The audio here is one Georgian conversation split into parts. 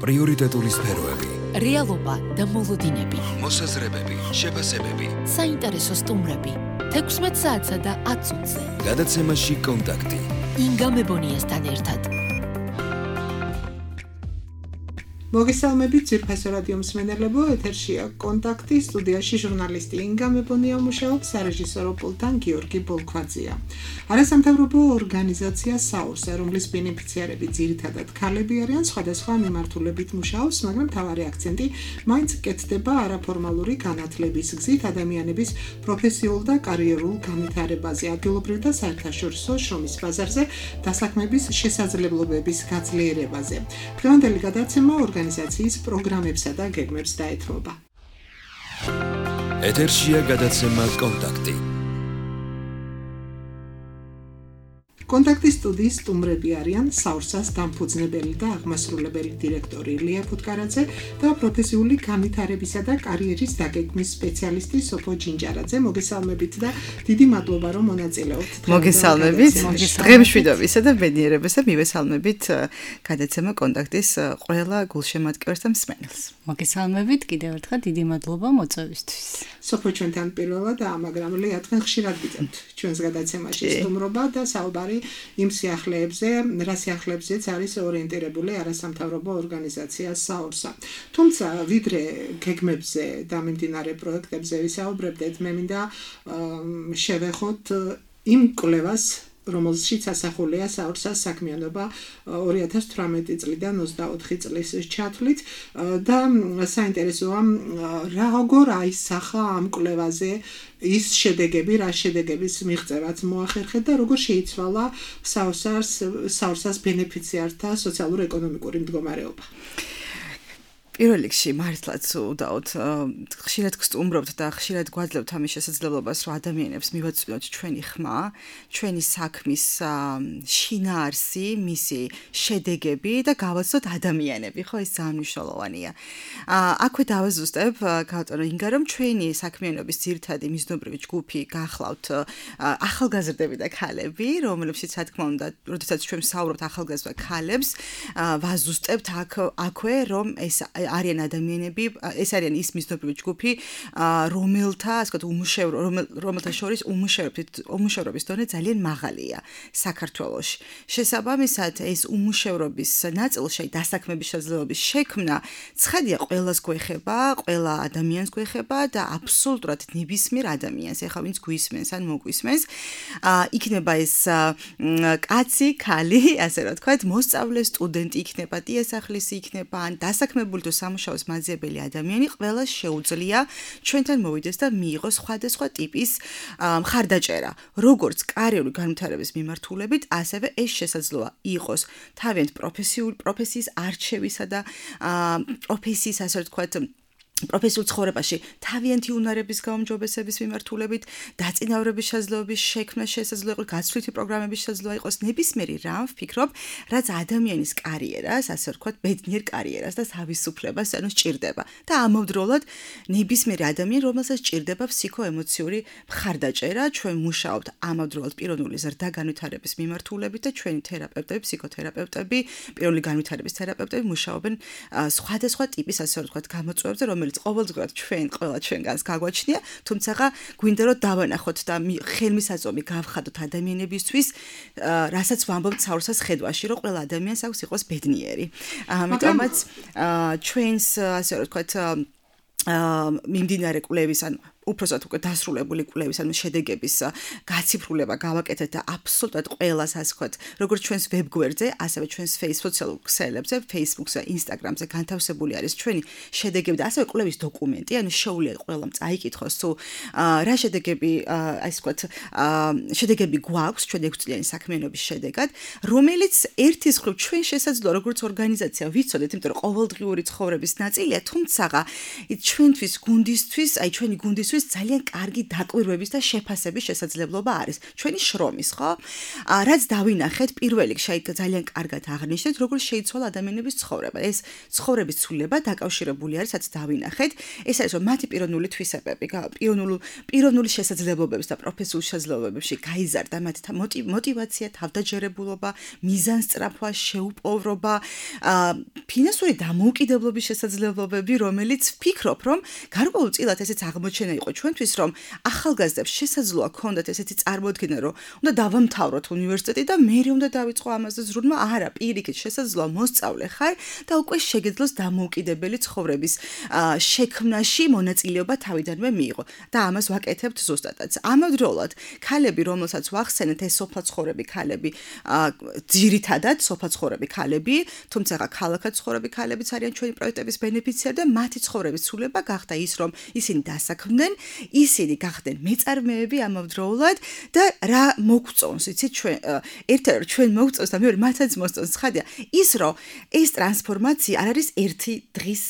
პრიორიტეტული სფეროები, რეალობა და მოლოდინები, მოსაზრებები, შეფასებები, საინტერესო სტუმრები, 16 საათსა და 10 წუთზე. გადაცემაში კონტაქტი. ინგა მებონიასთან ერთად. მოგესალმებით ძვირფასო რადიო მსმენელებო, ეთერშია კონტაქტი, სტუდიაში ჟურნალისტი ინგა მებონია მუშაობს, სარეჟისორო პულტთან გიორგი ბოლქვაძეა. არასამთავრობო ორგანიზაცია საურსა, რომლის ბენეფიციარები ძირითადად ქალები არიან, სხვადასხვა მიმართულებით მუშაობს, მაგრამ მთავარი აქცენტი მაინც კეთდება არაფორმალური განათლების გზით ადამიანების პროფესიულ და კარიერულ განვითარებაზე, ადგილობრივ და საერთაშორისო შრომის ბაზარზე, დასაქმების შესაძლებლობების გაძლიერებაზე. დღევანდელი გადაცემა ორგანიზაციის პროგრამებსა და გეგმებს დაეთმობა. ეთერშია გადაცემა კონტაქტი. კონტაქტის სტუდიის სტუმრები არიან საურსას დამფუძნებელი და აღმასრულებელი დირექტორი ლია ფუტკარაძე და პროფესიული განვითარებისა და კარიერის დაგეგმვის სპეციალისტი სოფო ჯინჯარაძე. მოგესალმებით და დიდი მადლობა რომ მონაწილეობთ. მოგესალმებით. დღემშვიდობისა და ბედნიერებისა მივესალმებით გადაცემა კონტაქტის ყველა გულშემატკივარს და მსმენელს. მოგესალმებით კიდევ ერთხელ დიდი მადლობა მოწვევისთვის. სოფო ჩვენთან პირველად მაგრამ ლია თქვენ ხშირად გიწევთ ჩვენს გადაცემაში სტუმრობა და საუბარი იმ სიახლეებზე, რა სიახლეებზეც არის ორიენტირებული არასამთავრობო ორგანიზაცია საურსა. თუმცა ვიდრე გეგმებზე და მიმდინარე პროექტებზე ვისაუბრებდეთ, მე მინდა შევეხოთ იმ კვლევას, რომელშიც ასახულია საურსას საქმიანობა 2018 წლიდან 24 წლის ჩათვლით და საინტერესოა როგორ აისახა ამ კვლევაზე ის შედეგები, რა შედეგების მიღწევაც მოახერხეთ და როგორ შეიცვალა საურსას ბენეფიციართა სოციალურ-ეკონომიკური მდგომარეობა. პირველ რიგში მართლაც უდაოდ ხშირად გსტუმრობთ და ხშირად გვაძლევთ ამის შესაძლებლობას, რომ ადამიანებს მივაწვდოთ ჩვენი ხმა, ჩვენი საქმის შინაარსი, მისი შედეგები და გავაცნოთ ადამიანები, ხო ეს ძალიან მნიშვნელოვანია. აქვე დავაზუსტებ გავტარო ინგა, რომ ჩვენი საქმიანობის ძირითადი მიზნობრივი ჯგუფი გახლავთ ახალგაზრდები და ქალები, რომლებშიც რა თქმა უნდა, როდესაც ჩვენ ვსაუბრობთ ახალგაზრდა ქალებს, ვაზუსტებთ აქვე, რომ ეს არიან ადამიანები, ეს არიან ის მიზნობრივი ჯგუფი, რომელთა, ასე ვთქვათ, რომელთა შორის უმუშევრობის დონე ძალიან მაღალია საქართველოში. შესაბამისად, ეს უმუშევრობის ნაწილში დასაქმების შესაძლებლობის შექმნა ცხადია ყველას გვეხება, ყველა ადამიანს გვეხება და აბსოლუტურად ნებისმიერ ადამიანს, ეხლა ვინც გვისმენს ან მოგვისმენს, იქნება ეს კაცი, ქალი, ასე რა ვთქვათ, მოსწავლე, სტუდენტი იქნება, დიასახლისი იქნება, ან დასაქმებული სამუშაოს მაძიებელი ადამიანი, ყველა შეუძლია ჩვენთან მოვიდეს და მიიღოს სხვადასხვა ტიპის მხარდაჭერა. როგორც კარიერული განვითარების მიმართულებით, ასევე ეს შესაძლოა იყოს თავიანთ პროფესიის არჩევისა და პროფესიის, ასე ვთქვათ, პროფესიულ ცხოვრებაში თავიანთი უნარების გაუმჯობესების მიმართულებით, დაწინაურების შესაძლებლობის შექმნა შესაძლოა იყოს, გაცვლითი პროგრამების შესაძლოა იყოს, ნებისმიერი რამ ვფიქრობ, რაც ადამიანის კარიერას, ასე ვთქვათ, ბედნიერ კარიერას და თავისუფლებას სჭირდება. და ამავდროულად ნებისმიერი ადამიანი, რომელსაც სჭირდება ფსიქოემოციური მხარდაჭერა, ჩვენ მუშაობთ ამავდროულად პიროვნული ზრდა განვითარების მიმართულებით და ჩვენი თერაპევტები, ფსიქოთერაპევტები, პიროვნული განვითარების თერაპევტები მუშაობენ სხვადასხვა ტიპის, ასე ვთქვათ, გამოწვევებზე, რომელიც ყოველდღურად ყველა ჩვენგანს გაგვაჩნია, თუმცა გვინდა რომ დავანახოთ და ხელმისაწვდომი გავხადოთ ადამიანებისთვის, რასაც ვამბობთ საურსას ხედვაში, რომ ყველა ადამიანს აქვს იყოს ბედნიერი. ამიტომაც ჩვენს, ასე ვთქვათ, მიმდინარე კვლევის ან უпроსტად უკვე დასრულებული კვლევის ან შედეგების გაციფრულება გავაკეთეთ და აბსოლუტურად ყველას, ასე ვთქვათ, როგორც ჩვენს ვებგვერდზე, ასევე ჩვენს სოციალურ ქსელებზე, Facebook-ზე, Instagram-ზე განთავსებული არის ჩვენი შედეგები და ასევე კვლევის დოკუმენტი, ანუ შეუძლია ყველამ წაიკითხოს, თუ რა შედეგები, ასე ვთქვათ, შედეგები გვაქვს ჩვენ 6 წლიანი საქმიანობის შედეგად, რომელიც ერთის მხრივ ჩვენ შესაძლოა როგორც ორგანიზაცია ვიცოდეთ, იმიტომ რომ ყოველდღიური ცხოვრების ნაწილია, თუმცა ჩვენთვის გუნდისთვის, აი ჩვენი გუნდის ჩვენთვის ძალიან კარგი დაკვირვების და შეფასების შესაძლებლობა არის. ჩვენი შრომის, ხო? რაც დავინახეთ, პირველ რიგში ძალიან კარგად აღნიშნეთ, როგორ შეიცვალა ადამიანების ცხოვრება. ეს ცხოვრების ცვლილება დაკავშირებული არის, რაც დავინახეთ. ეს არის, რომ მათი პიროვნული თვისებები, პიროვნული შესაძლებლობების და პროფესიული შესაძლებლობებში გაიზარდა მათი мотивация, თავდაჯერებულობა, მიზანსწრაფვა, შეუპოვრობა, ფინანსური დამოუკიდებლობის შესაძლებლობები, რომელიც ვფიქრობ, რომ გარკვეულწილად ესეც აღმოჩენა იყო ჩვენთვის, რომ ახალგაზრდებს შესაძლოა ქონდათ ესეთი წარმოდგენა, რომ უნდა დავამთავროთ უნივერსიტეტი და მე უნდა დავიწყო ამაზე ზრუნვა. არა, პირიქით შესაძლოა მოსწავლე ხარ და უკვე შეგეძლოს დამოუკიდებელი ცხოვრების შექმნაში მონაწილეობა თავიდანვე მიიღო და ამას ვაკეთებთ ზუსტადაც. ამავდროულად, ქალები, რომელსაც ვახსენეთ, ეს სოფლაცხოვრები ქალები, ძირითადად სოფლაცხოვრები ქალები, თუმცა ქალაქად ცხოვრები ქალებიც არიან ჩვენი პროექტების ბენეფიციარი და მათი ცხოვრების ცვლილება გახდა ის, რომ ისინი დასაქმდნენ, ისინი გახდნენ მეწარმეები ამავდროულად და რა მოგწონს, იცით ჩვენ ერთ-ერთი ჩვენ მოგწონს და მეორე მათაც მოსწონს ცხადია ის, რომ ეს ტრანსფორმაცია არ არის ერთი დღის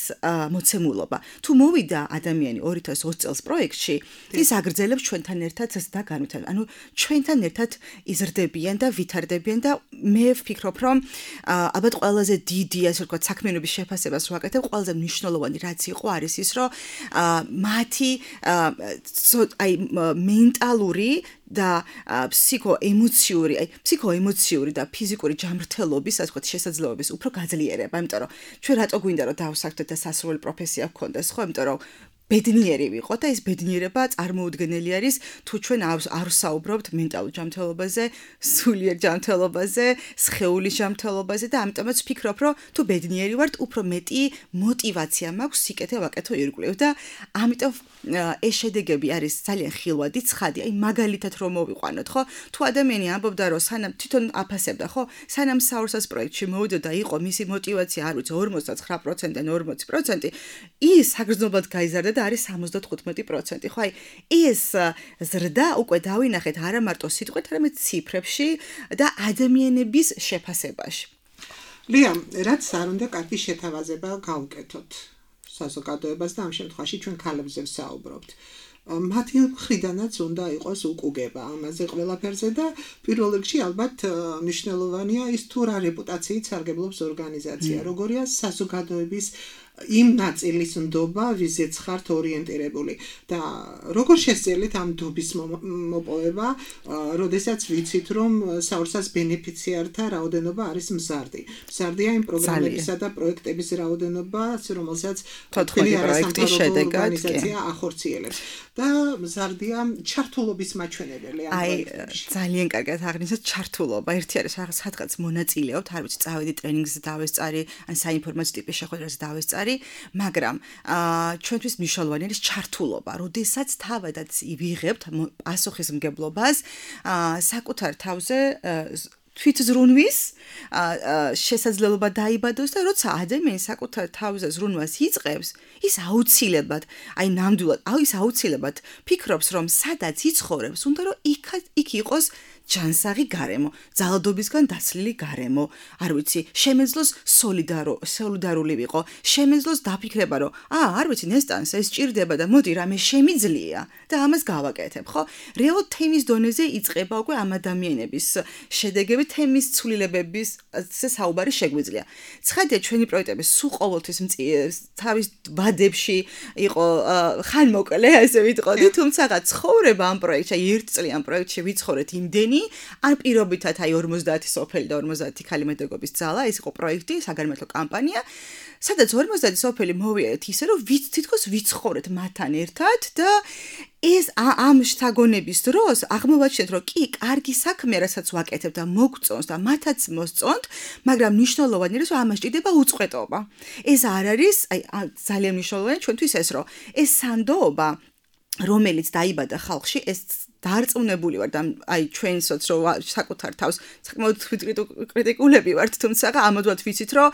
მოცემულობა. თუ მოვიდა ადამიანი 2020 წელს პროექტში, ის აგრძელებს ჩვენთან ერთად და განვითარებს. ანუ ჩვენთან ერთად იზრდებიან და ვითარდებიან და მე ვფიქრობ, რომ ალბათ ყველაზე დიდი, ასე ვთქვათ, საქმიანობის შეფასებას ვაკეთებ, ყველაზე მნიშვნელოვანი რაც იყო არის ის, რომ მათი მენტალური და ფსიქოემოციური და ფიზიკური ჯანმრთელობის, ასე ვთქვათ, შესაძლებლობის უფრო გაძლიერება, იმიტომ რომ ჩვენ რატო გვინდა რომ დავსაქმდეთ და სასურველი პროფესია გქონდეს, ხო? იმიტომ რომ ბედნიერი ვიყო და ეს ბედნიერება წარმოუდგენელი არის თუ ჩვენ არ ვსაუბრობთ მენტალურ ჯანმრთელობაზე, სულიერ ჯანმრთელობაზე, სხეულის ჯანმრთელობაზე და ამიტომაც ვფიქრობ, რომ თუ ბედნიერი ვართ, უფრო მეტი мотивация მაქვს სიკეთე ვაკეთო ირგვლივ და ამიტომ ეს შედეგები არის ძალიან ხილვადი, ცხადი, აი მაგალითად რომ მოვიყვანოთ, ხო? თუ ადამიანი ამბობდა, რომ სანამ თვითონ აფასებდა, ხო? სანამ საურსას პროექტში მოვიდა და იყო მისი мотивация, არ ვიცი, 59%-დან 40%, ის საგრძნობლად გაიზარდა და არის 75%, ხო? აი ეს ზრდა უკვე დავინახეთ არა მარტო სიტყვით, არამედ ციფრებში და ადამიანების შეფასებაში. ლია, რაც არ უნდა კარგი შეთავაზება გავუკეთოთ საზოგადოებას და ამ შემთხვევაში ჩვენ ქალებზე ვსაუბრობთ. მათი მხრიდანაც უნდა იყოს უკუგება ამაზე ყველაფერზე და პირველ რიგში ალბათ მნიშვნელოვანია ის თუ რა რეპუტაციით სარგებლობს ორგანიზაცია, როგორია საზოგადოების იმ ნაწილის ნდობა, ვიზეც ხართ ორიენტირებული და როგორ შესწავლით ამ ნდობის მოპოვება, როდესაც ვიცით, რომ საურსას ბენეფიციართა რაოდენობა არის მზარდი. მზარდია იმ პროგრამებისა და პროექტების რაოდენობა, რომელსაც თოთხმეტი პროექტის შედეგად ორგანიზაცია ახორციელებს და მზარდია ჩართულობის მაჩვენებელი ამ პროექტებში. ძალიან კარგად აღნიშნეთ ჩართულობა. ერთი არის რაღაც სადღაც მონაწილეობთ, არ ვიცი, წავედი ტრენინგზე დავესწარი, ან საინფორმაციო ტიპის შეხვედრაზე დავესწარი, მაგრამ ჩვენთვის მნიშვნელოვანი არის ჩართულობა, როდესაც თავადაც ვიღებთ პასუხისმგებლობას საკუთარ თავზე თვითზრუნვის შესაძლებლობა დაიბადოს და როცა ადამიანი საკუთარ თავზე ზრუნვას იწყებს, ის აუცილებლად, აი ნამდვილად, ის აუცილებლად ფიქრობს, რომ სადაც იცხოვრებს, უნდა რომ იქ იყოს ჯანსაღი გარემო, ძალადობისგან დაცლილი გარემო, არ ვიცი, შემეძლოს სოლიდარული ვიყო, შემეძლოს დაფიქრება, რომ არ ვიცი, ნესტანს ეს ჭირდება და მოდი რამე შემიძლია და ამას გავაკეთებ, ხო? რეალურად თემის დონეზე იწყება უკვე ამ ადამიანების შედეგები, თემის ცვლილებების საუბარი შეგვიძლია. ცხადია, ჩვენი პროექტები სულ ყოველთვის თავის ბადებში იყო ხანმოკლე, ასე ვიტყოდი, თუმცა ცხოვრება ამ პროექტში, ერთწლიან პროექტში ვიცხოვრეთ იმდენი ან პირობითად აი 50 სოფელი და 50 ქალი მედაგოგის ძალა, ეს იყო პროექტი, საგანმანათლებლო კამპანია, სადაც 50 სოფელი მოვიარეთ ისე, რომ თითქოს ვიცხოვრეთ მათთან ერთად და ეს ამ შთაგონების დროს აღმოვაჩინეთ, რომ კი, კარგი საქმეა, რასაც ვაკეთებ და მოგწონს და მათაც მოსწონთ, მაგრამ მნიშვნელოვანი არის, რომ ამას ჭირდება უწყვეტობა. ეს არ არის, აი ძალიან მნიშვნელოვანია ჩვენთვის ეს, რომ ეს სანდოობა, რომელიც დაიბადა ხალხში, ეს დარწმუნებული ვარ და აი ჩვენსაც რომ საკუთარ თავს საკმაოდ კრიტიკულები ვართ, თუმცა ამოდვათ ვიცით რომ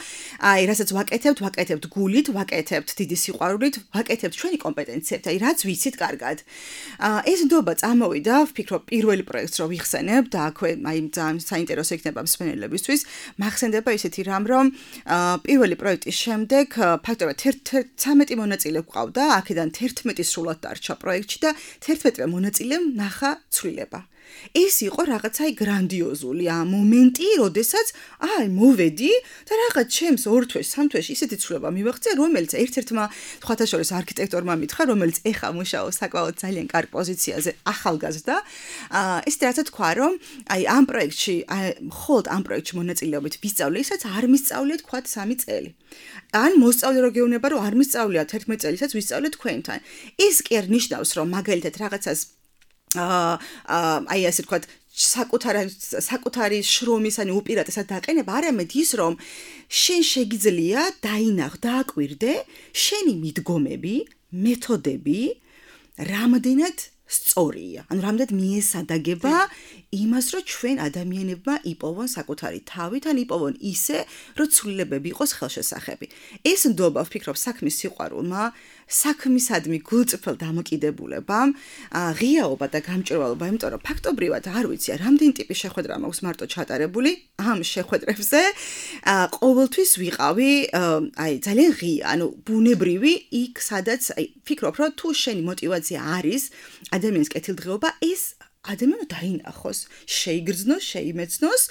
აი რასაც ვაკეთებთ გულით, ვაკეთებთ დიდი სიყვარულით, ვაკეთებთ ჩვენი კომპეტენციებით, აი რაც ვიცით კარგად. ეს ნდობა წამოვიდა, ვფიქრობ პირველი პროექტს რო ვიხსენებ და აქვე აი ძალიან საინტერესო იქნება მსმენელებისთვის. მახსენდება ისეთი რამ, რომ პირველი პროექტის შემდეგ ფაქტობრივად 13 მონაწილე გვყავდა, აქედან 11 სრულად დარჩა პროექტში და 11 მონაწილემ ნახა ცვლილება. ეს იყო რაღაცა გრანდიოზული მომენტი, როდესაც მოვედი და რაღაც ჩემს 2 თვეში, 3 თვეში ისეთი ცვლილება მივაღწია, რომელიც ერთ-ერთმა სხვათა შორის არქიტექტორმა მითხრა, რომელიც ეხა მუშაობს საკმაოდ ძალიან კარგ პოზიციაზე, ახალგაზრდა. ესეთი რაღაცა თქვა, რომ აი ამ პროექტში, მხოლოდ ამ პროექტში მონაწილეობით ვისწავლე, ისაც არ მისწავლია თქვა 3 წელი. ან მოსწავლე რო გეუბნება, რომ არ მისწავლია 11 წელიწადს ვისწავლე თქვენთან. ეს კი არ ნიშნავს, რომ მაგალითად რაღაცას აი ასე ვთქვათ, საკუთარი შრომის ან უპირატესად დაყენება, არამედ ის, რომ შენ შეგიძლია დააკვირდე შენი მიდგომები, მეთოდები, რამდენად სწორია. ანუ რამდენად მიესადაგება იმას, რომ ჩვენ ადამიანებმა იპოვონ საკუთარი თავით, ან იპოვონ ისე, რომ ცვლილებები იყოს ხელშესახები. ეს ნდობა, ვფიქრობ, საქმის სიყვარულმა, საქმისადმი გულწრფელ დამოკიდებულებამ, ღიაობა და გამჭვირვალობა, იმიტომ რომ ფაქტობრივად არ ვიცი, რამდენი ტიპის შეხვედრა მაქვს მარტო ჩატარებული, ამ შეხვედრებზე ყოველთვის ვიყავი, აი ძალიან ღია, ანუ ბუნებრივი იქ, სადაც აი ვფიქრობ, რომ თუ შენი мотиваცია არის ადამიანის კეთილდღეობა, ეს ადამიანო დაინახოს, შეიგრძნოს, შეიმეცნოს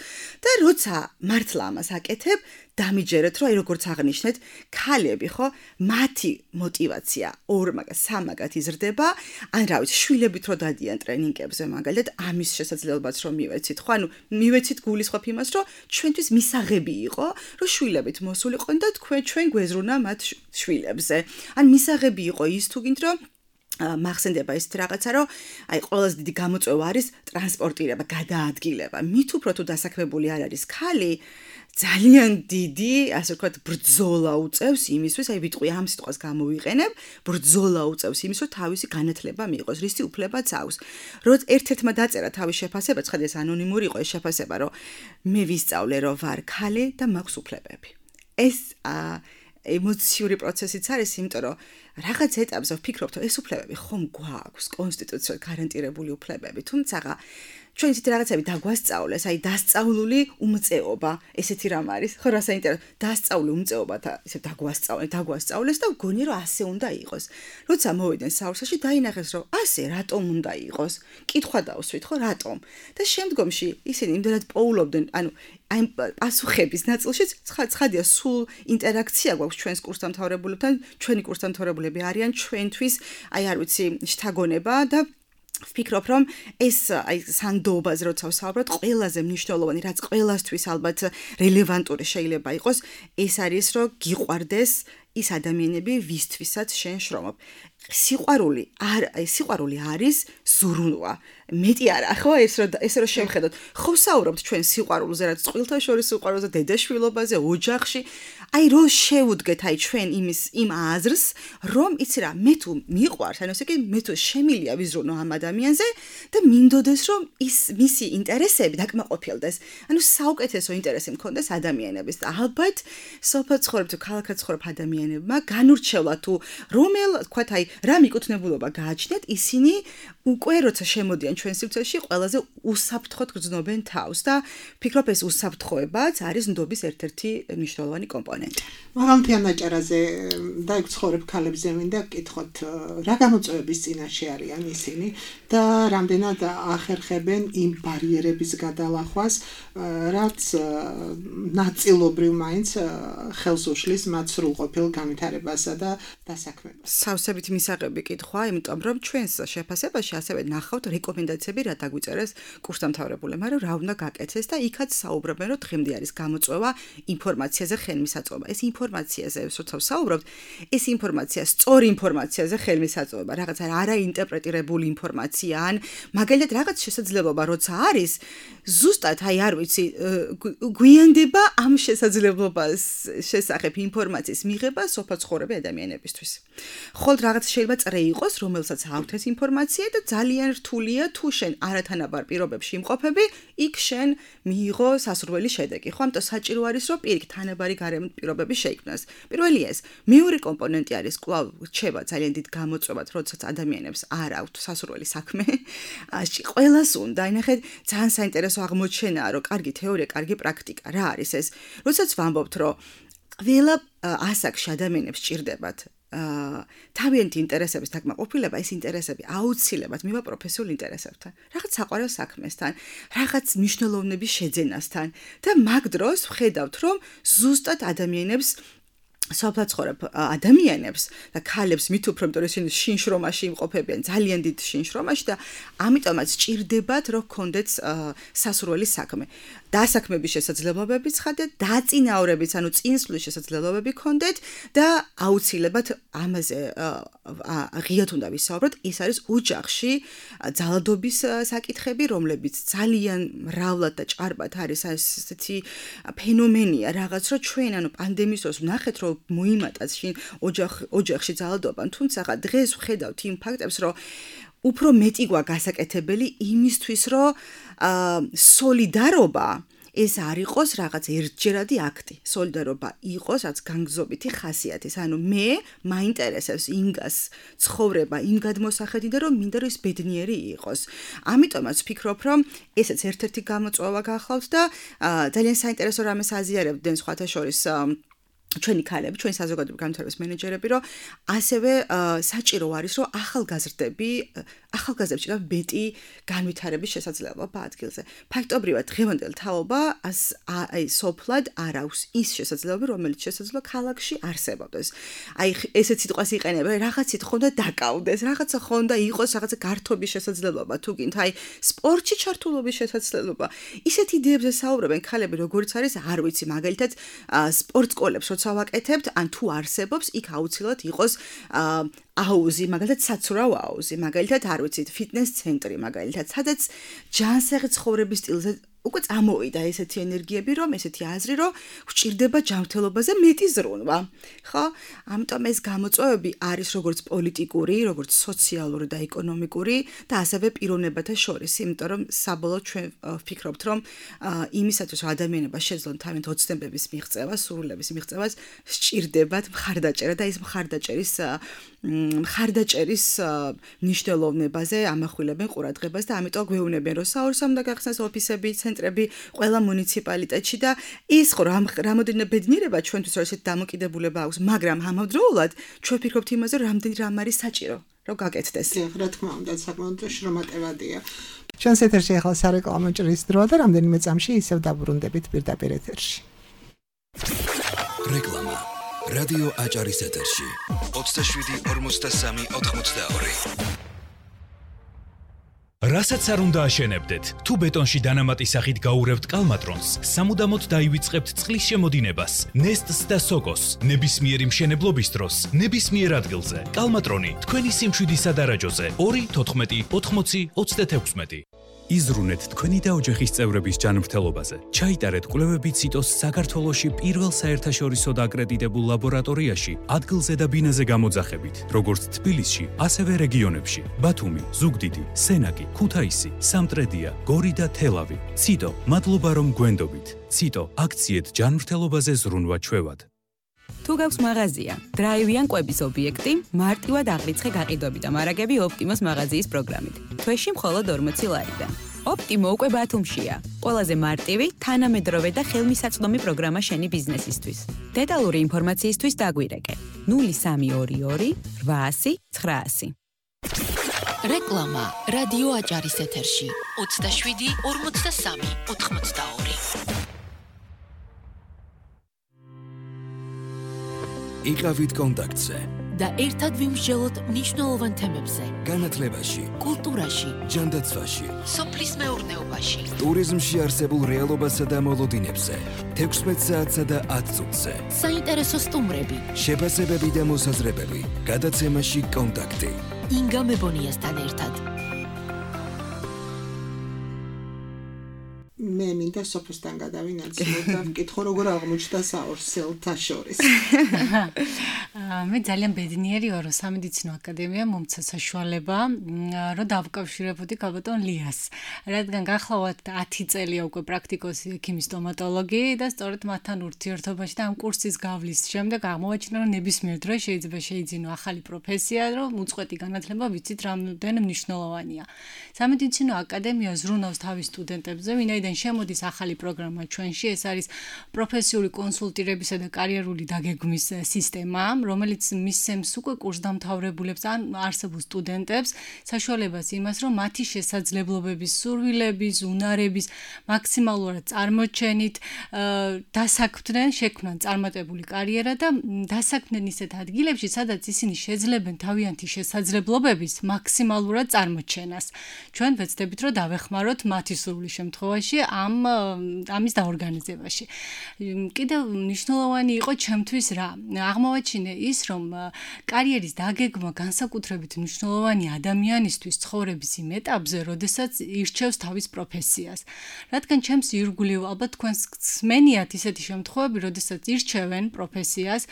და როცა მართლა ამას აკეთებ, დამიჯერეთ, რომ აი როგორც აღნიშნეთ, ქალები ხო, მათი мотиваცია 2 მაგას 3 მაგათ იზრდება, ან რა ვიცი, შვილებით რო დადიან ტრენინგებზე, მაგალითად, ამის შესაძლებლობაც რომ მივეცით, ხო, ანუ მივეცით გულისხმობ იმას, რომ ჩვენთვის მისაღები იყო, რომ შვილებით მოსულიყო და ჩვენ გვეზრუნა მათ შვილებზე. ან მისაღები იყო ის თუ გინდ რომ მახსენდება ესეთი რაღაცა, რომ აი ყველაზე დიდი გამოწვევა არის ტრანსპორტირება, გადაადგილება. მით უფრო თუ დასაქმებული არ არის ქალი, ძალიან დიდი, ასე ვთქვათ, ბრძოლა უწევს იმისთვის, აი ვიტყვი ამ სიტყვას გამოვიყენებ, ბრძოლა უწევს იმის, რომ თავისი განათლება მიიღოს, რისი უფლებაც აქვს. როცა ერთ-ერთმა დაწერა თავის შეფასება, ცხადია ეს ანონიმური იყო ეს შეფასება, რომ მე ვისწავლე, რომ ვარ ქალი და მაქვს უფლებები. ეს ემოციური პროცესიც არის, იმიტომ რომ რაღაც ეტაპზე ვფიქრობთ, რომ ეს უფლებები ხომ გვაქვს, კონსტიტუციურად გარანტირებული უფლებები, თუმცა ჩვენ ისეთი რაღაცები დაგვასწავლეს, აი დასწავლული უმწეობა, ესეთი რამ არის, ხო რა საინტერესო, დასწავლული უმწეობა და ისე დაგვასწავლეს და ვგონი რომ ასე უნდა იყოს. როცა მოვიდნენ საურსაში, დაინახეს რომ ასე რატომ უნდა იყოს? კითხვა დავსვით, ხო, რატომ? და შემდგომში ისინი იმდენად პოულობდნენ, ანუ აი პასუხების ნაწილშიც ცხადია სულ ინტერაქცია გვაქვს ჩვენს კურსდამთავრებულებთან, ჩვენი კურსდამთავრებულები არიან ჩვენთვის, აი არ ვიცი, შთაგონება და ვფიქრობ, რომ ეს აი სანდობაზე როცა ვსაუბრობ, ყველაზე მნიშვნელოვანი, რაც ყველასთვის ალბათ რელევანტური შეიძლება იყოს, ეს არის, რომ გიყვარდეს ის ადამიანები, ვისთვისაც შენ შრომობ. სიყვარული არის ზრუნვა. მეტი არა, ხო, ეს რომ შევხედოთ. ხო ვსაუბრობთ ჩვენ სიყვარულზე, რაც წყვილთა შორის სიყვარულზე, დედაშვილობაზე, ოჯახში. აი რო შევუდგეთ აი ჩვენ იმ აზრს, რომ იცი რა, მე თუ მიყვარს, ანუ ესე იგი, მე თუ შემილია ვიზრუნო ამ ადამიანზე და მინდოდეს, რომ მისი ინტერესები დაკმაყოფილდეს. ანუ საუკეთესო ინტერესი მქონდეს ადამიანების და ალბათ სოფელ ცხოვრებ თუ ქალაქად ცხოვრებ ადამიანებმა განურჩევლა თუ თქვათ აი რა მიკუთვნებულობა გააჩნიათ, ისინი უკვე როცა შემოდიან ჩვენ სივრცეში, ყველაზე უსაფრთხოდ გრძნობენ თავს და ვფიქრობ ეს უსაფრთხოებაც არის ნდობის ერთ-ერთი მნიშვნელოვანი კომპონენტი. მაღალმთიან აჭარაზე დაიქცხოვრებ ქალებზე მინდა გკითხოთ, რა გამოწვევების წინაშე არიან ისინი და რამდენად ახერხებენ იმ ბარიერების გადალახვას, რაც ნაწილობრივ მაინც ხელს უშლის მათ სრულყოფილ განვითარებასა და დასაქმებას. სავსებით მისაღები კითხვა, იმიტომ რომ ჩვენს შეფასებაში ასევე ნახავთ რეკომენდაციები რა დაგვიწერეს კურსდამთავრებულებმა, რომ რა უნდა გაკეთდეს და იქაც საუბრობენ, რომ დღემდე არის გამოწვევა ინფორმაციაზე ხელმისაწვდომი მისაწვდომობა. ეს ინფორმაციაზე როცა ვსაუბრობთ, ეს ინფორმაცია სწორი ინფორმაციაზე ხელმისაწვდომობა, რაღაცა არაინტერპრეტირებული ინფორმაცია ან მაგალითად რაღაც შესაძლებლობა როცა არის, ზუსტად აი არ ვიცი, გვიანდება ამ შესაძლებლობას შესახებ ინფორმაციის მიღება სოფლაცხოვრები ადამიანებისთვის. ხოლმე რაღაც შეიძლება წრე იყოს, რომელსაც აქვთ ეს ინფორმაცია და ძალიან რთულია თუ შენ არათანაბარ პირობებში იმყოფები, იქ შენ მიიღო სასურველი შედეგი. ხო, ამიტომ საჭირო არის, რომ პირიქით თანაბარი გარემო პირობები შეიქმნას. პირველი ეს, მეორე კომპონენტი არის კვლავ რჩება ძალიან დიდ გამოწვევად, როდესაც ადამიანებს არ აქვთ სასურველი საქმე. ყველას უნდა, ნახეთ, ძალიან საინტერესო აღმოჩენაა, რომ კარგი თეორია, კარგი პრაქტიკა. რა არის ეს? როდესაც ვამბობთ, რომ ყველა ასაკში ადამიანებს სჭირდებათ თავიანთი ინტერესების დაკმაყოფილება, ეს ინტერესები აუცილებლად მივა პროფესიულ ინტერესებთან, რაღაც საყვარელ საქმესთან, რაღაც მნიშვნელოვნების შეძენასთან და მაგ დროს ვხედავთ, რომ ზუსტად ადამიანებს სოფლაცხოვრებ ადამიანებს და ქალებს მით უფრო, იმიტომ რომ ისინი შინშრომაში იმყოფებიან, ძალიან დიდ შინშრომაში და ამიტომაც სჭირდებათ, რომ გქონდეთ სასურველი საქმე. დასაქმების შესაძლებლობებიც ხადეთ, დაწინაურებიც, ანუ წინსვლის შესაძლებლობები გქონდეთ და აუცილებლად ამაზე ღიად უნდა ვისაუბროთ. ეს არის ოჯახში ძალადობის საკითხები, რომლებიც ძალიან მრავლად და ჭარბად არის ესეთი ფენომენია, რაღაც რომ ჩვენ ანუ პანდემიის დროს ვნახეთ, რომ მოიმატა შინ ოჯახში ძალადობა, თუმცა დღეს ვხედავთ იმ ფაქტებს, რომ უფრო მეტი გვაქვს გასაკეთებელი იმისთვის, რომ სოლიდარობა ეს არ იყოს რაღაც ერთჯერადი აქტი. სოლიდარობა იყოს რაც განგზობითი ხასიათის. ანუ მე მაინტერესებს ინგას ცხოვრება იმ გადმოსახედი და რომ მინდა რომ ის ბედნიერი იყოს. ამიტომაც ვფიქრობ, რომ ესეც ერთ-ერთი გამოწვევა გახლავთ და ძალიან საინტერესო რამეს აზიარებდნენ სხვათა შორის ჩვენი ქალები, ჩვენი საზოგადოებრივი განვითარების მენეჯერები, რომ ასევე საჭირო არის, რომ ახალგაზრდებს ჭირდება მეტი განვითარების შესაძლებლობა ადგილზე. ფაქტობრივად დღევანდელ თაობა აი სოფლად არ აქვს ის შესაძლებლობა, რომელიც შესაძლოა ქალაქში არსებობდეს. აი ესეთ სიტყვას იყენებენ, რაღაცით ხონდა დაკავდეს, რაღაცა ხონდა იყოს რაღაცა გართობის შესაძლებლობა, თუ გინდ, აი სპორტში ჩართულობის შესაძლებლობა. ისეთ იდეებზე საუბრობენ ქალები, როგორც არის, არ ვიცი, მაგალითად სპორტ სკოლებს როცა ვაკეთებთ, ან თუ არსებობს, იქ აუცილებლად იყოს აუზი, მაგალითად საცურაო აუზი, მაგალითად არ ვიცით, ფიტნეს ცენტრი, მაგალითად, სადაც ჯანსაღი ცხოვრების სტილზე უკვე წამოვიდა ესეთი ენერგიები, რომ ესეთი აზრი, რომ გვჭირდება ჯანმრთელობაზე მეტი ზრუნვა. ხო? ამიტომ ეს გამოწვევები არის როგორც პოლიტიკური, როგორც სოციალური და ეკონომიკური და ასევე პიროვნებათა შორის, იმიტომ რომ საბოლოოდ ჩვენ ვფიქრობთ, რომ იმისათვის რომ ადამიანება შეძლონ თავიანთ ოცნებების მიღწევა, სურვილების მიღწევას, სჭირდებათ მხარდაჭერა და ეს მხარდაჭერის მნიშვნელოვნებაზე ამახვილებენ ყურადღებას და ამიტომ გვეუბნებიან, რომ საორსა უნდა გახსნას ოფისები, ცენტრები ყველა მუნიციპალიტეტში და ის რამოდენიმე ბედნიერება ჩვენთვის რომ ესეთ დამოკიდებულება აქვს, მაგრამ ამავდროულად ჩვენ ვფიქრობთ იმაზე, რომ რამდენი რამ არის საჭირო, რომ გაკეთდეს. რა თქმა უნდა, საკმაოდ შრომატევადია. ჩვენს ეთერში ახლა სარეკლამო ჭრის დროა და რამდენიმე წამში ისევ დაბრუნდებით პირდაპირ ეთერში. რეკლამა. რადიო აჭარის ეთერში 27 43 82. რასაც არ უნდა აშენებდეთ, თუ ბეტონში დანამატის სახით გაურევთ კალმატრონს, სამუდამოდ დაივიწყებთ წყლის შემოდინებას, ნესტს და სოკოს, ნებისმიერი მშენებლობის დროს, ნებისმიერ ადგილზე. კალმატრონი თქვენი სიმშვიდის სადარაჯოზე 2 14 80 36. იზრუნეთ თქვენი და ოჯახის წევრების ჯანმრთელობაზე. ჩაიტარეთ კვლევები ციტოს საქართველოში პირველ საერთაშორისო აკრედიტებულ ლაბორატორიაში, ადგილზე და ბინაზე გამოძახებით, როგორც თბილისში, ასევე რეგიონებში: ბათუმი, ზუგდიდი, სენაკი, ქუთაისი, სამტრედია, გორი და თელავი. ციტო, მადლობა რომ გვენდობით. ციტო, აქციეთ ჯანმრთელობაზე ზრუნვა ჩვევად. თუ გაქვს მაღაზია, დრაივი ან კვების ობიექტი, მარტივად აღრიცხე გაყიდვები და მარაგები ოპტიმოს მაღაზიის პროგრამით. თვეში მხოლოდ 40 ლარიდან. ოპტიმო უკვე ბათუმშია. ყველაზე მარტივი, თანამედროვე და ხელმისაწვდომი პროგრამა შენი ბიზნესისთვის. დეტალური ინფორმაციისთვის დაგვირეკე 0322 800 900. რეკლამა რადიო აჭარის ეთერში 27 43 82. იყავით კონტაქტზე. და ერთად ვიმსჯელოთ მნიშვნელოვან თემებზე. განათლებაში, კულტურაში, ჯანდაცვაში, სოფლის მეურნეობაში, ტურიზმში არსებულ რეალობასა და მოლოდინებზე, 16 საათსა და 10 წუთზე. საინტერესო სტუმრები, შეფასებები და მოსაზრებები, გადაცემაში კონტაქტი. ინგა მებონიასთან ერთად. მე მინდა სოფოსთან გადავინაცვლო და ვკითხო როგორ აღმოჩნდა საორსელთა შორის. მე ძალიან ბედნიერი ვარ, რომ სამედიცინო აკადემია მომცა საშუალება, რომ დავკავშირებოდი ქალბატონ ლიას. რადგან გახლავთ 10 წელია უკვე პრაქტიკოსი ექიმი სტომატოლოგი და სწორედ მათთან ურთიერთობაში და ამ კურსის გავლის შემდეგ აღმოვაჩინა, რომ ნებისმიერ დროს შეიძლება შეიძინო ახალი პროფესია, რომ უწყვეტი განათლება ვიცით რამდენი მნიშვნელოვანია. სამედიცინო აკადემია ზრუნავს თავის სტუდენტებზე, ვინაიდან შემოდის ახალი პროგრამა ჩვენში, ეს არის პროფესიული კონსულტირებისა და კარიერული დაგეგმვის სისტემა, რომელიც მისცემს უკვე კურსდამთავრებულებს ან არსებულ სტუდენტებს საშუალებას იმას, რომ მათი შესაძლებლობების, სურვილების, უნარების მაქსიმალურად წარმოჩენით დასაქმდნენ, შექმნან წარმატებული კარიერა და დასაქმდნენ ისეთ ადგილებში, სადაც ისინი შეძლებენ თავიანთი შესაძლებლობების მაქსიმალურად წარმოჩენას. ჩვენ ვეცდებით, რომ დავეხმაროთ მათი სურვილის შემთხვევაში ამის დაორგანიზებაში. კიდევ მნიშვნელოვანი იყო ჩემთვის რა? აღმოვაჩინე ის, რომ კარიერის დაგეგმა განსაკუთრებით მნიშვნელოვანი ადამიანისთვის ცხოვრების იმ ეტაპზე, როდესაც ირჩევს თავის პროფესიას. რადგან ჩემს ირგვლივ ალბათ თქვენს სმენიათ ისეთი შემთხვევები, როდესაც ირჩევენ პროფესიას,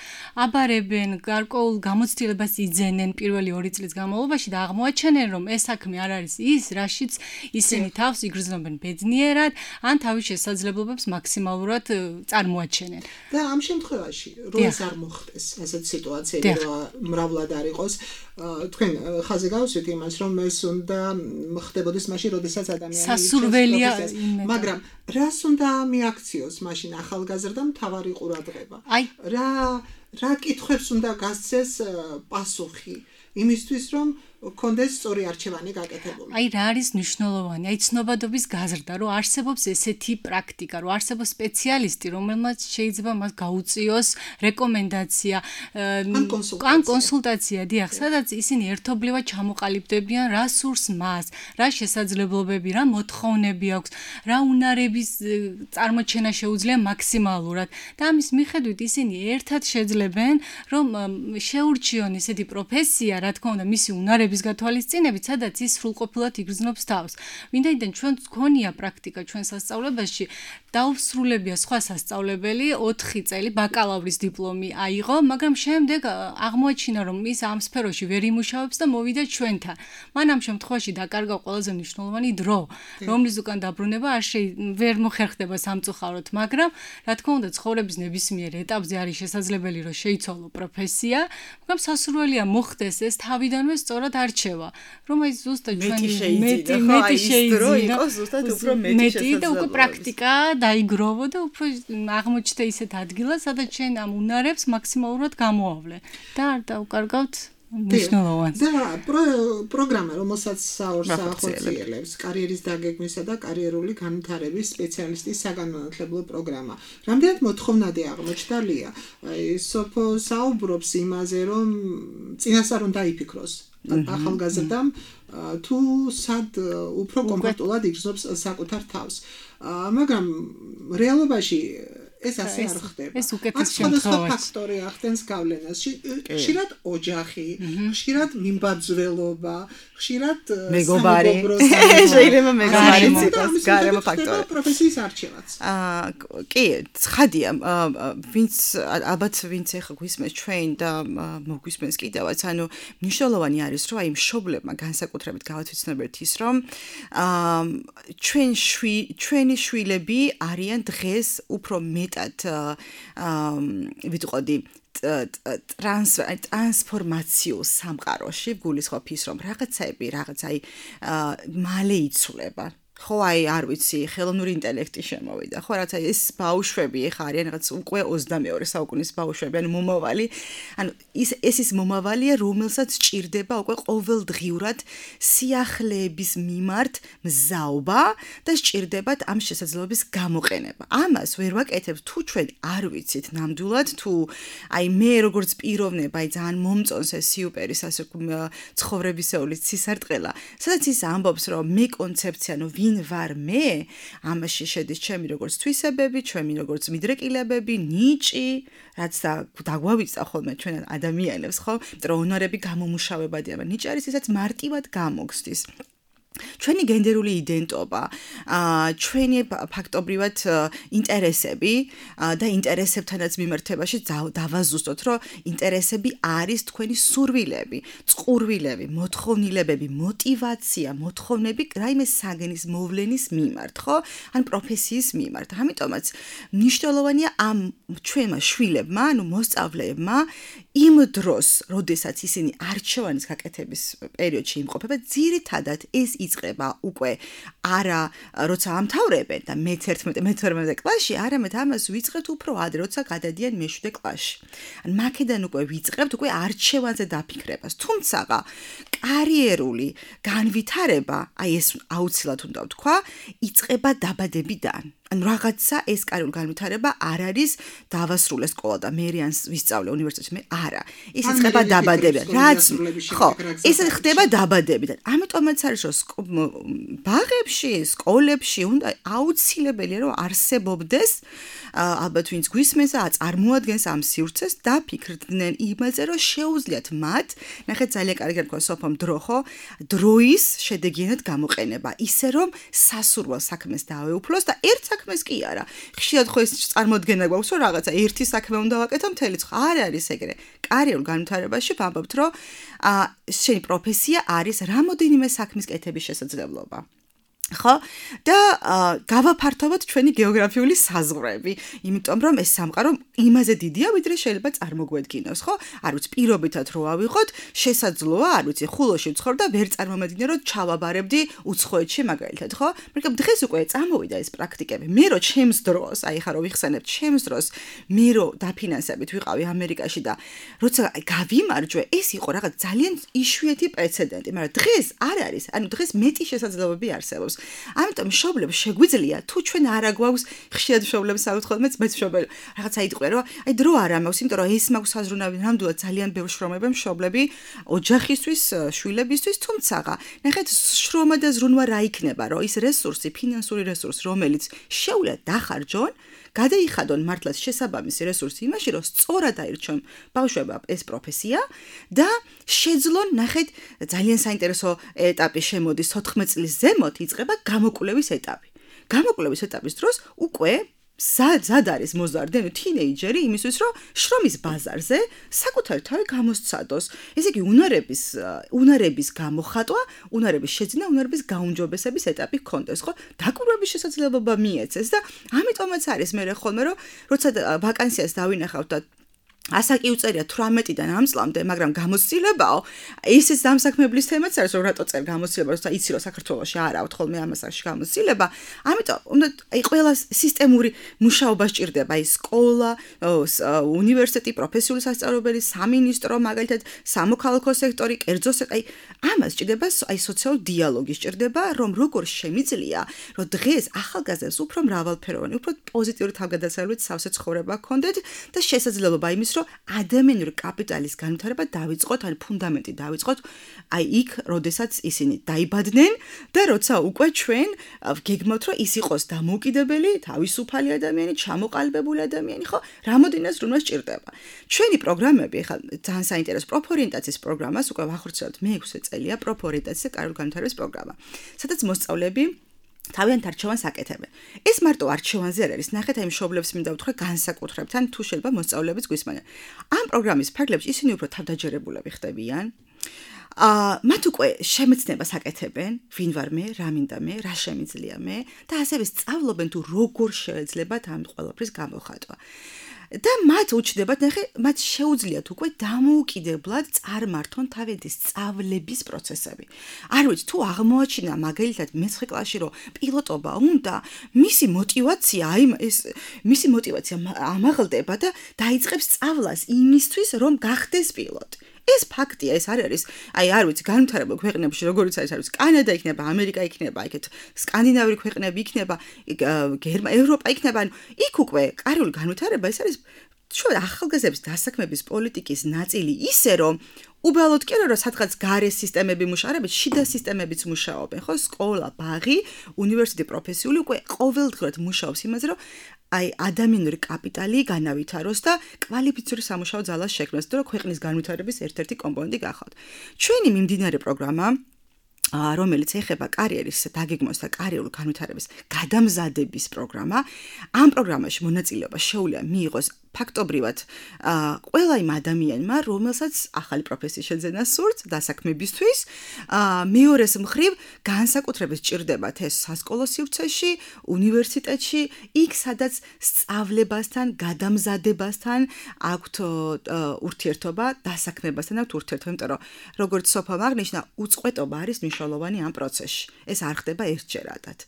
აბარებენ, გარკვეულ გამოცდილებას იძენენ პირველი 2 წლის განმავლობაში და აღმოაჩენენ, რომ ეს საქმე არ არის ის, რაშიც ისინი თავს იგრძნობენ ბედნიერად, ან თავის შესაძლებლობებს მაქსიმალურად წარმოაჩენენ. და ამ შემთხვევაში, რომ ეს არ მოხდეს, ასეთ სიტუაციები რომ მრავლად არ იყოს, თქვენ ხაზი გავუსვით იმას, რომ ეს უნდა ხდებოდეს მაშინ, როდესაც ადამიანი სასურველია, მაგრამ რას უნდა მიაქციოს მაშინ ახალგაზრდა მთავარი ყურადღება? რა კითხვებს უნდა გასცეს პასუხი იმისთვის, რომ კონდეს სწორი არჩევანი გაკეთებული. რა არის მნიშვნელოვანი? ცნობადობის გაზრდა, რომ არსებობს ესეთი პრაქტიკა, რომ არსებობს სპეციალისტი, რომელმაც შეიძლება მას გაუწიოს რეკომენდაცია ან კონსულტაცია, დიახ, სადაც ისინი ერთობლივად ჩამოყალიბდებიან, რა სურს მას, რა შესაძლებლობები, რა მოთხოვნები აქვს, რა უნარების წარმოჩენა შეუძლია მაქსიმალურად. და ამის მიხედვით ისინი ერთად შეძლებენ, რომ შეურჩიონ ესეთი პროფესია, რა თქმა უნდა, მისი უნარების გათვალისწინებით, სადაც ის სრულყოფილად იგრძნობს თავს. ვინაიდან ჩვენ გქონია პრაქტიკა ჩვენ სასწავლებელში, დაუსრულებია სხვა სასწავლებელი 4 წელი ბაკალავრის დიპლომი აიღო, მაგრამ შემდეგ აღმოაჩინა, რომ ის ამ სფეროში ვერ იმუშავებს და მოვიდა ჩვენთან. მან ამ შემთხვევაში დაკარგა ყველაზე მნიშვნელოვანი დრო, რომლის უკან დაბრუნება ვერ მოხერხდება სამწუხაროდ, მაგრამ რა თქმა უნდა, ცხოვრების ნებისმიერ ეტაპზე არის შესაძლებელი, რომ შეიცვალო პროფესია, მაგრამ სასურველია მოხდეს ეს თავიდანვე სწორად არჩევა, რომ აი ზუსტად ჩვენი მეტი შეიძინა, მეტი და უკვე პრაქტიკა დაიგროვო და უფრო აღმოჩნდა ისეთ ადგილას, სადაც ჩვენ ამ უნარებს მაქსიმალურად გამოავლე და არ დავკარგავთ მნიშვნელოვანს. და პროგრამა, რომელსაც ახორციელებს კარიერის დაგეგმვისა და კარიერული განვითარების სპეციალისტის საგანმანათლებლო პროგრამა. რამდენად მოთხოვნადი აღმოჩნდა ლია? სოფო საუბრობს იმაზე, რომ წინასწარ უნდა იფიქროს ახალგაზრდამ თუ სად უფრო კომფორტულად იგრძნობს საკუთარ თავს. მაგრამ რეალობაში ეს ასე არ ხდება. ეს უკეთეს შემთხვევაში ფაქტორი ახდენს გავლენას. ხშირად ოჯახი, ხშირად მიმბაძველობა, ხშირად მეგობარი, შეიძლება მეგობარი იყოს გარემო ფაქტორი. პროფესიის არჩევაც. კი, ცხადია, ალბათ ვინც ეხა გვისმენს ჩვენ და მოგვისმენს კიდევაც, ანუ მნიშვნელოვანი არის, რომ აი მშობლებმა განსაკუთრებით გავათვიცნობთ ის, რომ ჩვენი შვილები არიან დღეს უფრო მეტად ვიტყოდი ტრანსფორმაციულ სამყაროში, გულისხმობ ის, რომ რაღაცა მალე იცვლება. ხო აი არ ვიცი ხელოვნური ინტელექტი შემოვიდა ხო რაც ეს ბავშვები ეხა არიან რაღაც უკვე 22 საუკუნის ბავშვები ანუ მომავალი ანუ ეს ის მომავალია რომელსაც ჭირდება უკვე ყოველდღიურად სიახლეების მიმართ მზაობა და სჭირდებათ ამ შესაძლებლობის გამოყენება ამას ვერ ვაკეთებ თუ ჩვენ არ ვიცით ნამდვილად თუ აი მე როგორც პიროვნება აი ძალიან მომწონს ეს სიუპერის ასე ცხოვრებისეული ცისარტყელა სადაც ის ამბობს რომ მე კონცეფცია ნუ ვინ ვარ მე ამაში შედის ჩემი როგორც თვისებები ჩემი როგორც მიდრეკილებები ნიჭი რაც დაგვავიწყდა ხოლმე ჩვენ ადამიანებს ხო რომ უნარები გამომუშავებადია მაგრამ ნიჭი არის ისაც მარტივად გამოგსდის ჩვენი გენდერული იდენტობა, ჩვენი ფაქტობრივად ინტერესები და ინტერესებთანაც მიმართებაში დავაზუსტოთ, რომ ინტერესები არის თქვენი სურვილები, წყურვილები, მოთხოვნილებები, мотиваცია, მოთხოვნები რაიმე საგნის მოვლენის მიმართ, ხო? ან პროფესიის მიმართ. ამიტომაც მნიშვნელოვანია ამ ჩვენმა შვილებმა, ანუ მოსწავლეებმა იმ დროს, როდესაც ისინი არჩევანის გაკეთების პერიოდში იმყოფებენ, ძირითადად ეს იწყება უკვე არა როცა ამთავრებენ და მე-11 კლასში, არამედ ამას ვიწყებთ უფრო ადრე, როცა გადადიან მე-7 კლასში. ან მაქედან უკვე ვიწყებთ უკვე არჩევანზე დაფიქრებას. თუმცა კარიერული განვითარება, აი ეს აუცილებლად უნდა ვთქვა, იწყება დაბადებიდან. ან რაღაცა ეს კარიერული განვითარება არ არის დავასრულე სკოლა და მე რიანს ვისწავლე უნივერსიტეტში მე არა ის იწყება დაბადებიდან რაც ხო ეს ხდება დაბადებიდან ამიტომაც არის რომ ბაღებში სკოლებში უნდა აუცილებელია რომ არსებობდეს ალბათ ვინც გვისმენს და წარმოადგენს ამ სივრცეს და ფიქრდნენ იმაზე რომ შეუძლიათ მათ ნახეთ ძალიან კარგი რქვა სოფომ დრო ხო დროის შედეგიანად გამოყენება ისე რომ სასურველ საქმეს დავეუფლოს და ერთ საქმეს კი არა. ხშირად ხო ეს წარმოდგენა გვაქვს, რომ რაღაცა ერთი საქმე უნდა ვაკეთო მთელი წელი. არ არის ეგრე. კარიერულ განვითარებაში ვამბობთ, რომ შენი პროფესია არის რამოდენიმე საქმის კეთების შესაძლებლობა. ხო? და გავაფართოვოთ ჩვენი გეოგრაფიული საზღვრები, იმიტომ რომ ეს სამყარო იმაზე დიდია, ვიდრე შეიძლება წარმოგვედგინოს, ხო? არ ვიცი, პირობითად რო ავიღოთ, შესაძლოა, არ ვიცი, ხულოში ვცხოვრ და ვერ წარმომედგინე, რომ ჩავაბარებდი უცხოეთში მაგალითად, ხო? მაგრამ დღეს უკვე წამოვიდა ეს პრაქტიკები. მე რო ჩემს დროს, აი ხა რო ვიხსენებ ჩემს დროს, მე რო დაფინანსებით ვიყავი ამერიკაში და როცა გავიმარჯვე, ეს იყო რაღაც ძალიან იშვიათი პრეცედენტი, მაგრამ დღეს არ არის, ანუ დღეს მეტი შესაძლებლობები არსებობს. ამიტომ მშობლებს შეგვიძლია თუ ჩვენ არა გვაქვს ხშირად მშობლებს საუთხოთ მეც მშობელი რაღაცა იტყვია რომ აი დრო არ ამაქვს იმიტომ რომ ეს მაქვს საზრუნავი ნამდვილად ძალიან ბევრ შრომებენ მშობლები ოჯახისთვის შვილებისთვის თუმცა ნახეთ შრომა და ზრუნვა რა იქნება რომ ის რესურსი ფინანსური რესურსი რომელიც შეუძლია დახარჯონ გადაიხადონ მართლაც შესაბამისი რესურსი იმაში რომ სწორად აირჩიონ ბავშვებმა ეს პროფესია და შეძლონ ნახეთ ძალიან საინტერესო ეტაპი შემოდის 14 წლის ზემოთ იწყება გამოკვლევის ეტაპი. გამოკვლევის ეტაპის დროს უკვე ზად არის მოზარდი, ანუ თინეიჯერი იმისთვის, რომ შრომის ბაზარზე საკუთარი თავი გამოსცადოს. ესე იგი უნარების გამოხატვა, უნარების შეძენა, უნარების გაუმჯობესების ეტაპი ჰქონდეს, ხო? დაკვირვების შესაძლებლობა მიეცეს და ამიტომაც არის მე ხოლმე რომ როცა ვაკანსიას დავინახავთ და ასაკი უწერია 18-დან ამ წლამდე, მაგრამ გამოცდილებაო, ისიც დამსაქმებლის თემაც არის, რომ რატო წერ გამოცდილება, როცა იცი რომ საქართველოში არ აქვს ხოლმე ამასაში გამოცდილება, ამიტომ უნდა აი ყველა სისტემური მუშაობა სჭირდება, აი სკოლა, უნივერსიტეტი, პროფესიული სასწავლებელი, სამინისტრო, მაგალითად, სამოქალაქო სექტორი, კერძო სექტორი, აი ამას სჭირდება აი სოციალური დიალოგი სჭირდება, რომ როგორ შემიძლია, რომ დღეს ახალგაზრდებს უფრო მრავალფეროვანი, უფრო პოზიტიური თავგადასავლით სავსე ცხოვრება ჰქონდეთ და შესაძლებლობა იმის რომ ადამიანური კაპიტალის განვითარება დავიწყოთ, ან ფუნდამენტი დავიწყოთ, აი იქ, როდესაც ისინი დაიბადნენ და როცა უკვე ჩვენ გეგმავთ, რომ ის იყოს დამოუკიდებელი, თავისუფალი ადამიანი, ჩამოყალიბებული ადამიანი, ხო? რამოდენად ზრუნვა სჭირდება. ჩვენი პროგრამები, ხა ძალიან საინტერესო პროფორიენტაციის პროგრამას უკვე ვახორციელებთ მე-6 წელია პროფორიენტაციის და კარიერული განვითარების პროგრამა. სადაც მოსწავლეები თავიანთ არჩევანს აკეთებენ. ეს მარტო არჩევანზე არ არის. ნახეთ, აი მშობლებს მინდა ვთქვა განსაკუთრებთან თუ შეიძლება მოსწავლეებიც გვისმენენ. ამ პროგრამის ფარგლებში ისინი უფრო თავდაჯერებულები ხდებიან. მათ უკვე შემეცნებას აკეთებენ, ვინ ვარ მე, რა მინდა მე, რა შემიძლია მე და ასევე სწავლობენ თუ როგორ შეეძლებათ ამ ყველაფრის გამოხატვა. და მათ უჩნდებათ, ნახე, მათ შეუძლიათ უკვე დამოუკიდებლად წარმართონ თავიანთი სწავლების პროცესები. არ ვიცი, თუ აღმოაჩინა მაგალითად მე-9 კლასში რომ პილოტობა უნდა, მისი მოტივაცია ამაღლდება და დაიწყებს სწავლას იმისთვის, რომ გახდეს პილოტი. ეს ფაქტია, ეს არ არის, არ ვიცი, განვითარებულ ქვეყნებში, როგორც არის, კანადა იქნება, ამერიკა იქნება, იქეთ სკანდინავიური ქვეყნები იქნება, ევროპა იქნება, ანუ იქ უკვე კარული განვითარება, ეს არის შუა ახალგაზრდების დასაქმების პოლიტიკის ნაწილი ისე, რომ უბრალოდ კი არა, რომ სადღაც გარე სისტემები მუშაობენ, შიდა სისტემებიც მუშაობენ, ხო? სკოლა, ბაღი, უნივერსიტეტი, პროფესიული უკვე ყოველდღურად მუშაობს იმაზე, რომ ადამიანური კაპიტალი განავითაროს და კვალიფიციური სამუშაო ძალას შექმნას, და რომ ქვეყნის განვითარების ერთ-ერთი კომპონენტი გახავთ. ჩვენი მიმდინარე პროგრამა რომელიც ეხება კარიერის დაგეგმვას და კარიერული განვითარების გადამზადების პროგრამა, ამ პროგრამაში მონაწილეობა შეუძლია მიიღოს ფაქტობრივად ყველა იმ ადამიანმა, რომელსაც ახალი პროფესიის შეძენა სურს დასაქმებისთვის, მეორეს მხრივ განსაკუთრებით სჭირდებათ ეს სასკოლო სივრცეში, უნივერსიტეტში, იქ სადაც სწავლებასთან, გადამზადებასთან აქვთ ურთიერთობა, დასაქმებასთან აქვთ ურთიერთობა, იმიტომ რომ როგორც სოფამ აღნიშნა, უწყვეტობა არის მნიშვნელოვანი ამ პროცესში. ეს არ ხდება ერთჯერადად.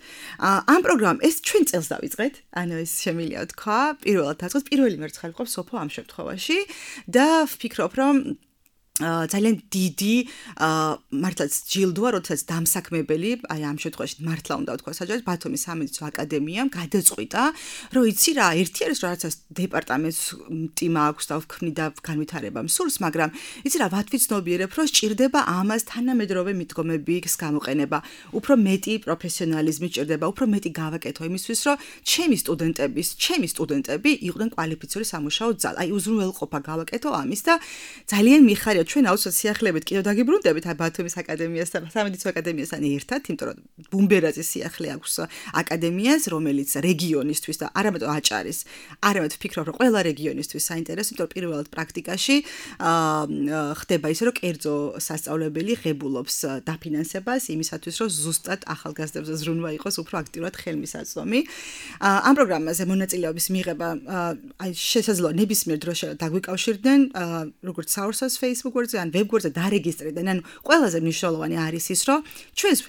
ამ პროგრამამ ეს ჩვენ წელს დავიწყეთ, ანუ ეს შემიძლია თქვა, პირველად დაწყოს პირველი მერცხალი ყავს სოფო ამ შემთხვევაში და ვფიქრობ, რომ ძალიან დიდი მართლაც ჯილდოა, როდესაც დამსაქმებელი, ამ შემთხვევაში მართლა უნდა ვთქვა საჯაროდ ბათუმის სამედიცინო აკადემიამ გადაწყვიტა, რომ იცი რა, ერთი არის რომ რაღაცას დეპარტამენტს ტიმა აქვს და ვქმნიდა განვითარებამ სურს, მაგრამ იცი რა, ვათვიცნობიერებ, რომ სჭირდება ამას თანამედროვე მიდგომების გამოყენება, უფრო მეტი პროფესიონალიზმი სჭირდება, უფრო მეტი გავაკეთო იმისთვის, რომ ჩემი სტუდენტები იყვნენ კვალიფიციური სამუშაო ძალა. აი უზრუნველყოფა გავაკეთო ამის და ძალიან მიხარია ჩვენ აუცილებლად სიახლეებით კიდევ დაგიბრუნდებით ბათუმის აკადემიასთან, სამედიცინო აკადემიასთან ერთად, იმიტომ რომ ბუმბერაძის სიახლე აქვს აკადემიას, რომელიც რეგიონისთვის და არამედ აჭარის, არამედ ვფიქრობ, რომ ყველა რეგიონისთვის საინტერესო, იმიტომ რომ პირველად პრაქტიკაში ხდება ისე, რომ კერძო სასწავლებელი ღებულობს დაფინანსებას იმისათვის, რომ ზუსტად ახალგაზრდებზე ზრუნვა იყოს უფრო აქტიურად ხელმისაწვდომი. ამ პროგრამაზე მონაწილეობის მიღება შესაძლოა ნებისმიერ დროში დაგვიკავშირდნენ, როგორც საურსას Facebook-ზე ან ვებგვერდზე დარეგისტრირდნენ. ანუ ყველაზე მნიშვნელოვანი არის ის, რომ ჩვენს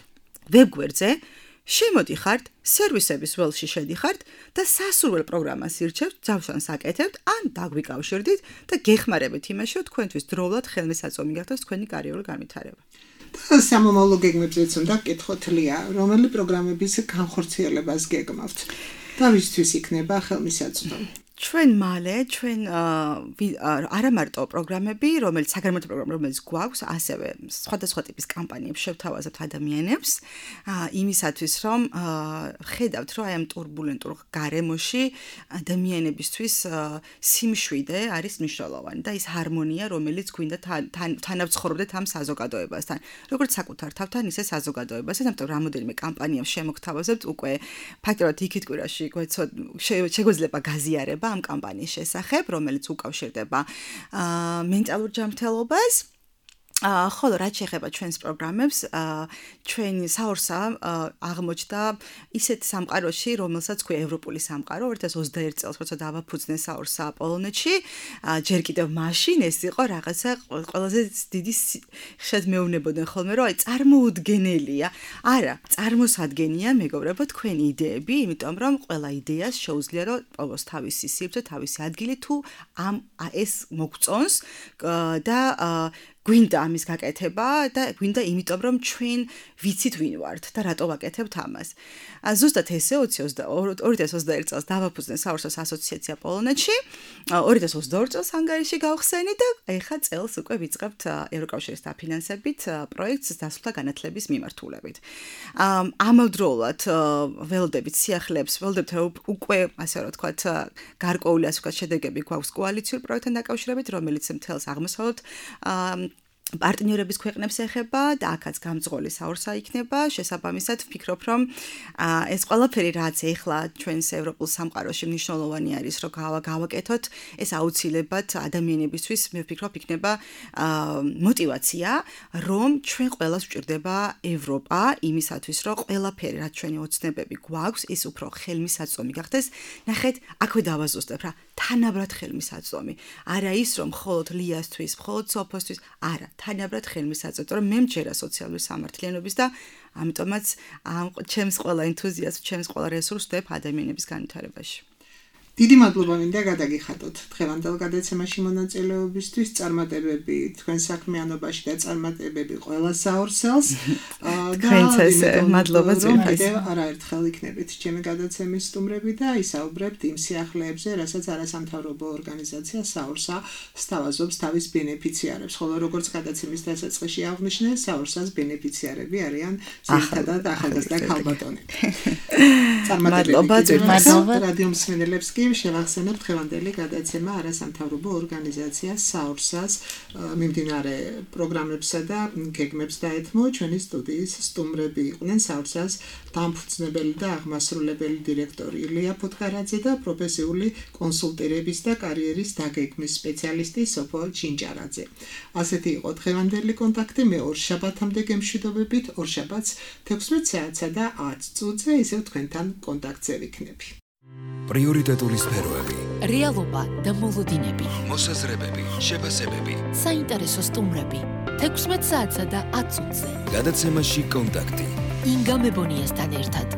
ვებგვერდზე შემოდიხართ, სერვისების ველში შედიხართ და სასურველ პროგრამას ირჩევთ, ძავშანს აკეთებთ, ან დაგვიკავშირდით და გეხმარებით იმაში, რომ თქვენთვის დროულად ხელმისაწვდომი გახდეს თქვენი კარიერული განვითარება. და სამომავლო გეგმებზეც უნდა გკითხოთ ლია, რომელი პროგრამების განხორციელებას გეგმავთ და ვისთვის იქნება ხელმისაწვდომი? ჩვენ მალე, არა მარტო პროგრამები, რომელიც საგანმანათლებლო პროგრამა, რომელიც გვაქვს, ასევე სხვადასხვა ტიპის კამპანიებს შევთავაზებთ ადამიანებს, იმისათვის, რომ ხედავთ, რომ აი ამ ტურბულენტურ გარემოში ადამიანებისთვის სიმშვიდე არის მნიშვნელოვანი და ის ჰარმონია, რომელიც გვინდა თანავცხოვრობდეთ ამ საზოგადოებასთან. როგორც საკუთარ თავთან, ისე საზოგადოებასთან, ამიტომ რამოდენიმე კამპანიებს შემოგთავაზებთ უკვე ფაქტობრივად იქით კვირაში შეგვეძლება გაზიარება ამ კამპანიის შესახებ, რომელიც უკავშირდება მენტალურ ჯანმრთელობას. ხოლო რაც შეეხება ჩვენს პროგრამებს, ჩვენი საურსა აღმოჩნდა ისეთ სამყაროში, რომელსაც ქვია ევროპული სამყარო, 2021 წელს, როცა დავაფუძნე საურსა პოლონეთში, ჯერ კიდევ მაშინ ეს იყო რაღაცა ყველაზე დიდი ხშირად მეუბნებოდნენ ხოლმე, რომ აი წარმოუდგენელია. არა, წარმოსადგენია, მეგობრებო, თქვენი იდეები, იმიტომ რომ ყველა იდეას შეუძლია რომ პოვოს თავისი სივრცე, თავისი ადგილი თუ ეს მოგწონს და გვინდა ამის გაკეთება და გვინდა იმიტომ რომ ჩვენ ვიცით ვინ ვართ და რატო ვაკეთებთ ამას. ზუსტად ესე 2021 წელს დავაფუძნე საურსას ასოციაცია პოლონეთში, 2022 წელს ჰანგარიში გავხსენი და ეხა წელს უკვე ვიწყებთ ევროკავშირის დაფინანსებით პროექტს დასავლთა განათლების მიმართულებით. ამავდროულად ველოდებით სიახლეებს, ველოდებთ უკვე ასე რომ ვთქვათ გარკვეული ასე ვთქვათ შედეგები გვაქვს კოალიციურ პროექტთან დაკავშირებით, რომელიც მთელს აღმოსავლეთ პარტნიორების ქვეყნებს ეხება და აქაც გამძღოლი საურსა იქნება. შესაბამისად ვფიქრობ, რომ ეს ყველაფერი რაც ეხლა ჩვენს ევროპულ სამყაროში მნიშვნელოვანი არის, რომ გავაკეთოთ, ეს აუცილებლად ადამიანებისთვის მე ვფიქრობ იქნება мотиваცია, რომ ჩვენ ყველას ვჭირდება ევროპა იმისათვის, რომ ყველაფერი რაც ჩვენი ოცნებები გვაქვს, ის უფრო ხელმისაწვდომი გახდეს. ნახეთ, აქვე დავაზუსტებ რა. თანაბრად ხელმისაწვდომი. არა ის რომ მხოლოდ ლიასთვის, მხოლოდ სოფოსთვის, არა, თანაბრად ხელმისაწვდომი, რომ მე მჯერა სოციალური სამართლიანობის და ამიტომაც ჩემს ყველა ენთუზიაზმს, ჩემს ყველა რესურსს ვდებ ადამიანების განვითარებაში. დიდი მადლობა მინდა გადაგიხადოთ დღევანდელ გადაცემაში მონაწილეობისთვის, წარმატებები თქვენ საქმიანობაში და წარმატებები ყველა საორსელს. მადლობა ძვირფას. არაერთხელ იქნებით ჩემი გადაცემის სტუმრები და ისაუბრებთ იმ სიახლეებზე, რასაც არასამთავრობო ორგანიზაცია საორსა სთავაზობს თავის ბენეფიციარებს, ხოლო როგორც გადაცემის დასაწყისში აღნიშნე, საორსას ბენეფიციარები არიან ძირითადად ახალგაზრდა ქალბატონები. მადლობა ძვირფას. რადიო მსმენელებს კი შევახსენებთ დღევანდელი გადაცემა არასამთავრობო ორგანიზაცია საორსას მიმდინარე პროგრამებსა და გეგმებს დაეთმო. ჩვენი სტუდიის სტუმრები იყვნენ საორსას დამფუძნებელი და აღმასრულებელი დირექტორი ილია ფუტკარაძე და პროფესიული კონსულტირების და კარიერის დაგეგმვის სპეციალისტი სოფო ჩინჭარაძე. ასეთი იყო დღევანდელი კონტაქტი. მე ორ შაბათამდე გემშვიდობებით, ორ შაბათს 16 საათსა და 10 წუთზე ისევ თქვენთან კონტაქტზე ვიქნები. პრიორიტეტული სფეროები, რეალობა და მოლოდინები, მოსაზრებები, შეფასებები, საინტერესო სტუმრები 16 საათსა და 10 წუთზე. გადაცემაში კონტაქტი. ინგა მებონიასთან ერთად.